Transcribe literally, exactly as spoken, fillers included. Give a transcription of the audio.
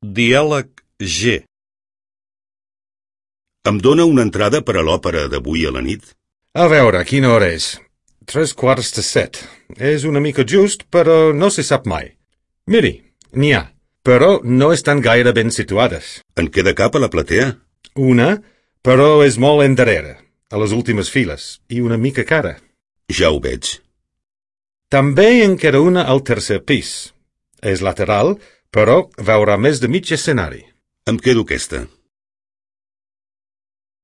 Diàleg G. Em dóna una entrada per a l'òpera d'avui a la nit? A veure, quina hora és? Tres quarts de set. És una mica just, però no se sap mai. Miri, n'hi ha, però no estan gaire ben situades. En queda cap a la platea? Una, però és molt endarrere, a les últimes files, i una mica cara. Ja ho veig. També en queda una al tercer pis. És lateral, però veurà més de mig escenari. Em quedo aquesta.